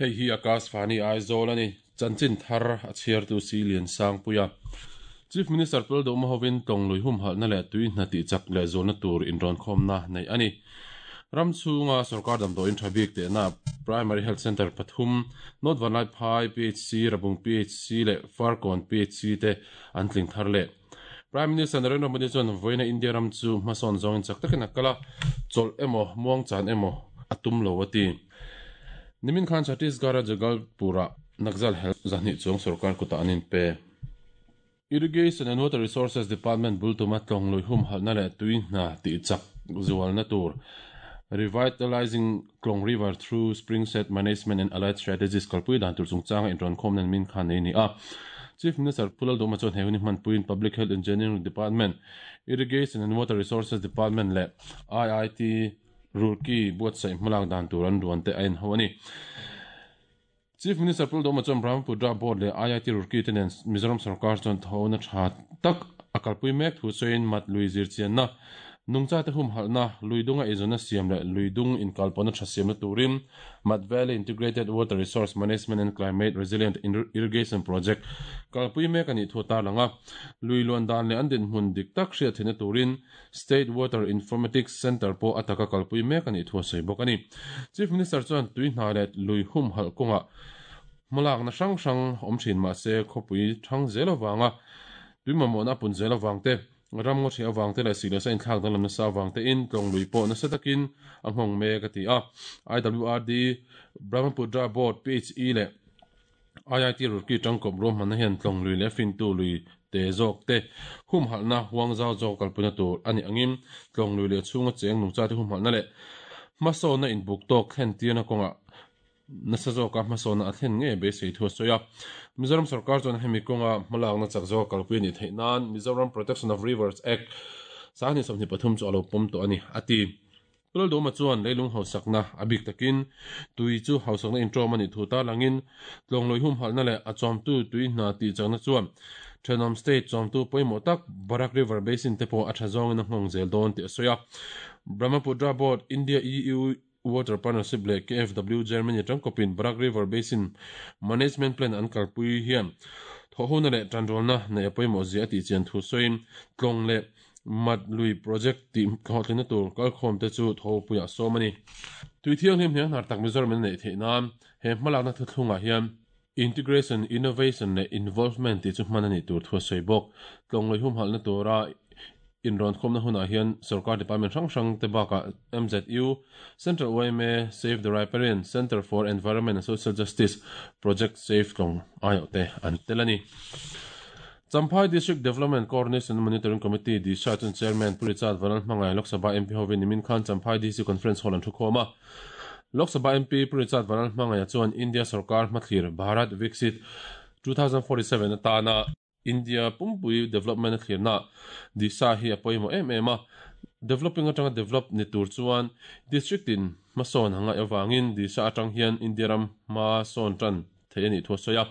Hei hi Akashvani Aizawl a ni. Chanchin thar a chhiartu si Liansangpuia. Chief Minister Pul Duhma hovin tlawng lui humhalhna leh tui hna tih chak leh zualna tur inrawnkhawmna neih a ni. Ram chhunga sorkar damdawiin tha bik tehna Primary Health Centre pathum, North Vanlaiphai PHC, Rabung PHC leh Farkawn PHC te an tling thar leh. Prime Minister Narendra Modi chuan vawiina India ram chu hmasawn zawngin chak takin a kal a, chawlh emaw, muangchan emaw a tum lo a ti. Nimin khan Chhattisgarh-a Jagalpur-ah Naxal hel zahnih chuang sorkar kutah an inpe. Irrigation and Water Resources Department bul tuma tlawng lui humhalhna leh tui hna tih chak zualna tur Revitalising Tlawng River Through Spring Set Management and Allied Strategies kalpui dan tur chungchanga inrawnkhawmna an min khan nei a ni a. Chief Minister Pu Lalduhma chuan he hun hi hmanpuiin Public Health Engineering Department, Irrigation and Water Resources Department leh IIT Roorkee buatsaih hmalak dan tur an ruan te a enho a ni. Chief Minister Pu Lalduhma chuan Brahmaputra Board leh IIT Roorkee te nen Mizoram sorkar chuan thawhna tha tak a kalpui mek thu sawiin mat lui zirchianna, nungchate humhalhna, lui dunga eizawnna siam leh lui dung inkalpawhna tha siamna turin Mat Valley Integrated Water Resource Management and Climate Resilient Irrigation Project kalpui mek a nih thu a tarlang a. Lui luan dan leh an dinhmun dik tak hriat theihna turin State Water Informatics Centre pawh a taka kalpui mek a nih thu a sawi bawk a ni. Chief Minister chuan tui hna leh lui humhalh kawngah hmalakna hrang hrang awm thin mah se khawpui thang zel avanga tui mamawhna a pun zel avang te, ram ngaw hreh avang te leh sih leh sa inthlak danglam nasa avang tein tlawng lui pawh nasa takin a nghawng mek a ti a. IWRD, Brahmaputra Board, PHE leh IIT Roorkee tangkawp ruahmanna hian tlawng lui leh fintu lui te zawk te humhalhna huang zau zawk kalpuina tur a nih angin tlawng lui leh chhunga cheng nungchate humhalhna leh hmasawnna inbuk tawk thlen tirna kawngah nasa zawka hmasawnna a thlen ngei beisei thu a sawi a. Mizoram sorkar chuan hemi kawnga hmalakna chak zawka kalpui a nih theih nan Mizoram Protection of Rivers Act 2023 chu a lo pawm tawh a ni, a ti. Pu Lalduhma chuan leilung hausakna a bik takin tui chu hausakna inṭawm a nih thu tarlangin tlawnglawi humhalhna leh a chawmtu tui hna tih chakna chuan thenawm state chawmtu pawimawh tak Barak River Basin te pawh a tha zawngin a nghawng zel dawn tih a sawi a. Brahmaputra Board, India EU Water Partnership leh KfW Germany tangkawpin Barak River Basin Management Plan an kalpui hian thawhhona leh tanrualna neih a pawimawh zia a tihchian thu sawiin tlawng leh Mat lui project tih hlawhtlinna tur kalkhawm te chu Thopuiah sawm a ni. Tui thianghlim hniang hnar tak Mizoram in a neih theih nan he hmalakna thuthlungah hian Integration, Innovation leh Involvement tih chu hman a nih tur thu a sawi bawk. Tlawng lui humhalhna tura inrawnkhawmna hunah hian sorkar department hrang hrang te bakah MZU, Central yma, Save the Riparian, Centre for Environment and Social Justice, Project Save Tlawng aiawh te an tel a ni. Champhai District Development Coordination and Monitoring Committee, DISHA, chuan Chairman Pu Richard Vanal hmangaih Lok Sabha MP hovin nimin khan Champhai DC Conference Hall an thukhawm a. Lok Sabha MP Pu Richard Vanal hmangaih chuan India sorkar hmathlir Bharat Viksit 2047 atana India pumpui development a thlirna DISHA hi a pawimawh em em a. Developing atanga develop ni tur chuan District in hmasawn a ngaih avangin DISHA atang hian India ram hma sawn tan thei a nih thu a sawi a.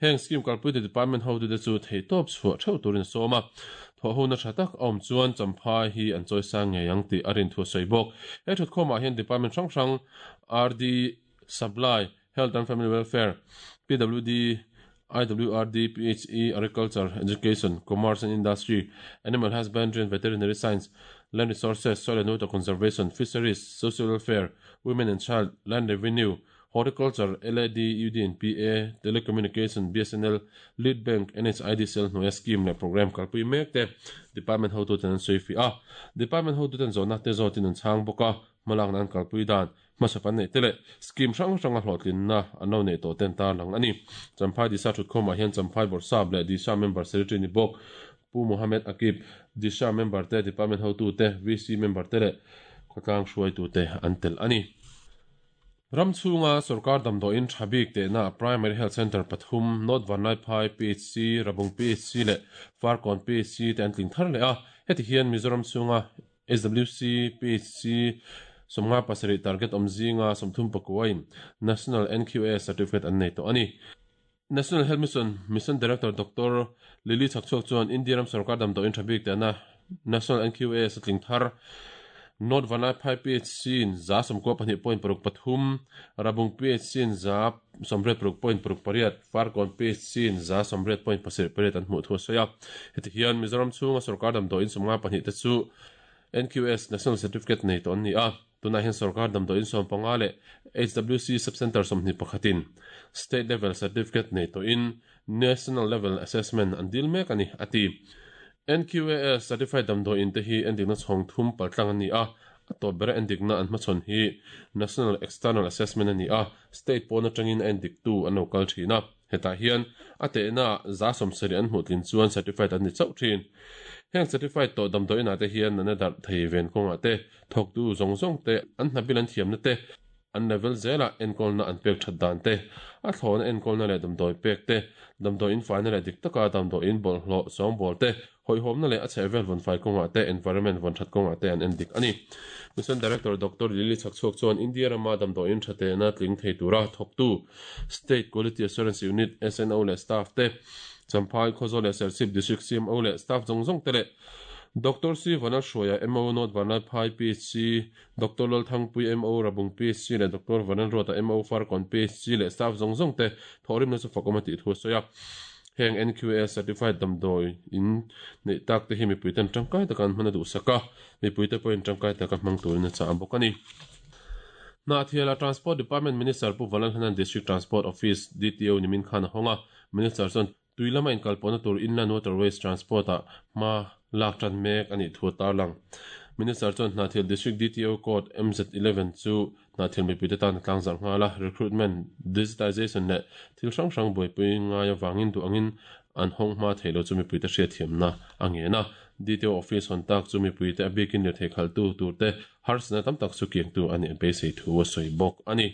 Heng scheme kalpuitu department hotute chu theihtawp chhuah theuh turin a sawm a. Thawhhona tha tak a awm chuan Champhai hi an chawisang ngei ang tih a rin thu a sawi bawk. He thutkhawmah hian department hrang hrang RD, Supply, Health and Family Welfare, PWD, IWRD, PHE, Agriculture, Education, Commerce and Industry, Animal Husbandry and Veterinary Science, Land Resources, Soil and Water Conservation, Fisheries, Social Welfare, Women and Child, Land Revenue, Horticulture, LAD, UD and PA, Telecommunication, BSNL, Lead Bank, NHIDCL hnuaia scheme leh programme kalpui mek te Department hotuten an sawi fih a. Department hotuten zawhna te zawtin an chhang bawk a, hmalakna an kalpui dan, hmasa pan neih te leh scheme hrang hranga hlawhtlinna an lo neih tawh ten tarlang a ni. Champhai Disha thutkhawmah hian Champhai Bawrhsap leh Disha member secretary ni bawk Pu Mohammed Akib, Disha member te, Department hotute, VC member te leh khawtlang hruaitute an tel a ni. Ram chhunga sorkar damdawiin tha bik tehna Primary Health Centre pathum, North Vanlaiphai PHC, Rabung PHC leh Farkawn PHC te an tling thar leh a. Heti hian Mizoram chhunga SWC PHC 57 target awm zinga 34in National NQAS Certificate an nei tawh a ni. National Health Mission Mission Director Doctor Lily Chhakchhuak chuan India ram sorkar damdawiin tha bik tehna National NQAS a tling thar. North Vanlaiphai PHC in 92 point 63, Rabung PHC in 86 point 68, Farkawn PHC in 80 point 78 an hmuh thu a sawi a. Heti hian Mizoram chhunga sorkar damdawiin 52 te chu NQS, National Certificate, nei tawh an ni a. Tunah hian sorkar damdawiin 15 leh HWC Sub-Centre 21 in State Level Certificate nei tawhin National Level Assessment an dil mek a ni, a ti. NQAS Certified damdawiin te hi endikna chhawng thum paltlang an ni a, a tawp bera endikna an hmachhawn hi National External Assessment a ni a, State pawn atangin a endiktu an lo kal thin a. Hetah hian a tehna 70% an hmuh tlin chuan certified an ni chauh thin. Heng certified tawh damdawiinah te hian natna darh thei ven kawngah te, thawktu zawng zawng te, an hnabil an thiamna te, an level zelah enkawlna an pek that dan te, a thlawhna enkawlna leh damdawi pek te, damdawi infaina leh dik taka damdawiin bawlhhlawh sawngbawl te, hawihhawmna leh a chhehvel vawnfai kawngah te, environment vawn that kawngah te an en dik a ni. Mission Director Doctor Lily Chhakchhuak chuan India rama damdawiin tha tehna tling thei tura thawktu State Quality Assurance Unit, SNO, leh staff te, Champhai, Khawzawl leh Serchhip District CMO leh staff zawng zawng te leh Doctor C Vanlalhruaia, MO, North Vanlaiphai PHC, Doctor Lalthangpui, MO, Rabung PHC leh Doctor Vanlalruata, MO, Farkawn PHC leh staff zawng zawng te thawhrimna chu fakawm a tih thu a sawi a. Heng NQA certified damdawi in neih tak te hi mipui ten tangkai taka an hman a duhsak a, mipui te pawhin tangkai taka hmang turin a chah bawk a ni. Hnahthiala Transport Department Minister Pu Vanlalhlanan District Transport Office, DTO, nimin khan a hawng a, Minister chuan Tui lama inkalpawhna tur Inland Waterways Transport-ah hma lak tan mek a nih thu a tarlang. Minister chuan Hnahthial District DTO Code MZ 11 chu Hnahthial mipuite tan a tlangzarh nghal a, recruitment, digitization leh thil hrang hrang buaipui ngai avangin duh angin an hawng hma theih lo chu mipuite hriatthiamna a ngen a. DTO office hawn tak chu mipuite a bikin lirthei khalhtu turte harsatna tam tak chu kiangtu a nih beisei thu a sawi bawk a ni.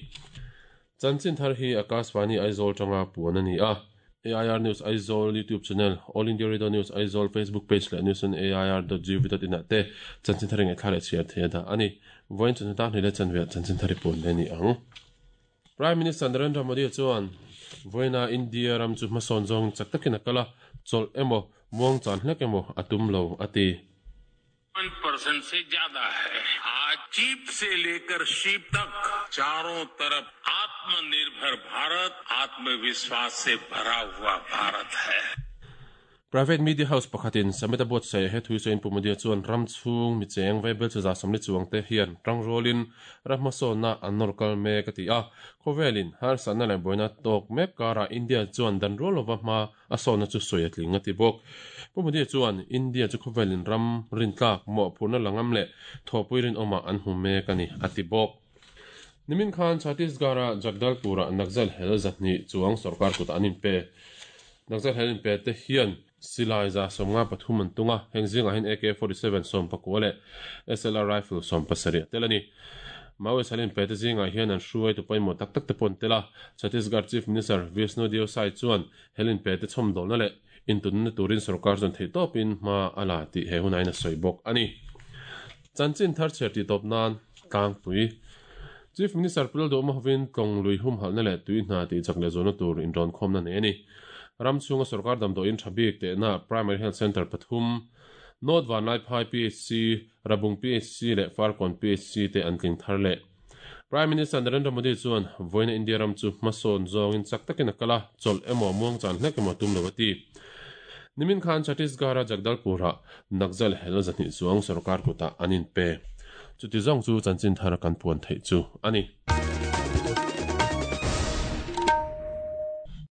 Chanchin thar hi Akashvani Aizawl tanga puan a ni a. AIR News Aizawl YouTube channel, All India Radio News Aizawl Facebook page leh news on air dot gov dot in ah te chanchin thar i ngaihthla leh chhiar thei a dah a ni. Vawiin chawhnu tan hlei leh chanve ah chanchin thar i puan leh a ni ang. Prime Minister Narendra Modi chuan vawiina India ram chu hmasawn zawngin chak takin a kal a, chawlh emaw, muangchan hlek emaw a tum lo a ti. Percent se zyada hai. Aaj cheap se lekar sheep tak charon taraf Atmanirbhar Bharat, Atmavishwas se bhara hua Bharat hai. Private media house pakhatin Summit a buatsaih he thui sawiin Pu Modi chuan ram chhung mi cheng vaibel chu 40 chuang te hian tangrualin ram hmasawnna an nawr kal mek a ti a. Khawvelin harsatna leh buaina tawk mek karah India chuan dan rual lova hma A sawhna chu sawi a tling a ti bawk. Pu Modi chuan India chu khawvelin ram rintlak, mawhphurhna la ngam leh thawhpui rinawmah an hmu mek a ni, a ti bawk. Nimin khan Chhattisgarh-a Jagdalpur-ah Naxal hel 200 chuang sorkar kutah an inpe. Naxal hel inpe te hian silai 93 an tung a, heng zingah hian AK 47 19 leh SLR rifle 17 a tel a ni. Maoist hal inpe te zingah hian an hruaitu pawimawh tak tak te pawh an tel a, Chhattisgarh Chief Minister Vishnu Deo Sai chuan Hel inpe te chhawmdawlna leh intunna turin sorkar chuan theihtawpin hma a la tih he hunain a sawi bawk a ni. Chanchin thar chhiar tih tawp nan tlangpui Chief Minister Pu Lalduhawma hovin Tlawng lui humhalhna leh tui hna tih chak leh zualna tur inrawnkhawmna nei a ni. Ram chhunga sorkar damdawiin tha bik tehna Primary Health Centre pathum, North Vanlaiphai PHC, Rabung PHC leh Farkawn PHC te an tling thar leh. Prime Minister Narendra Modi chuan vawiina India ram chu hmasawn zawngin chak takin a kal a, chawlh emaw muangchan hlek emaw tum lo a ti. Nimin khan Chhattisgarh-a Jagdalpur-ah Naxal hel 200 chuang sorkar kutah an inpe. Chuti zawng chu chanchin thar kan puan theih chu a ni.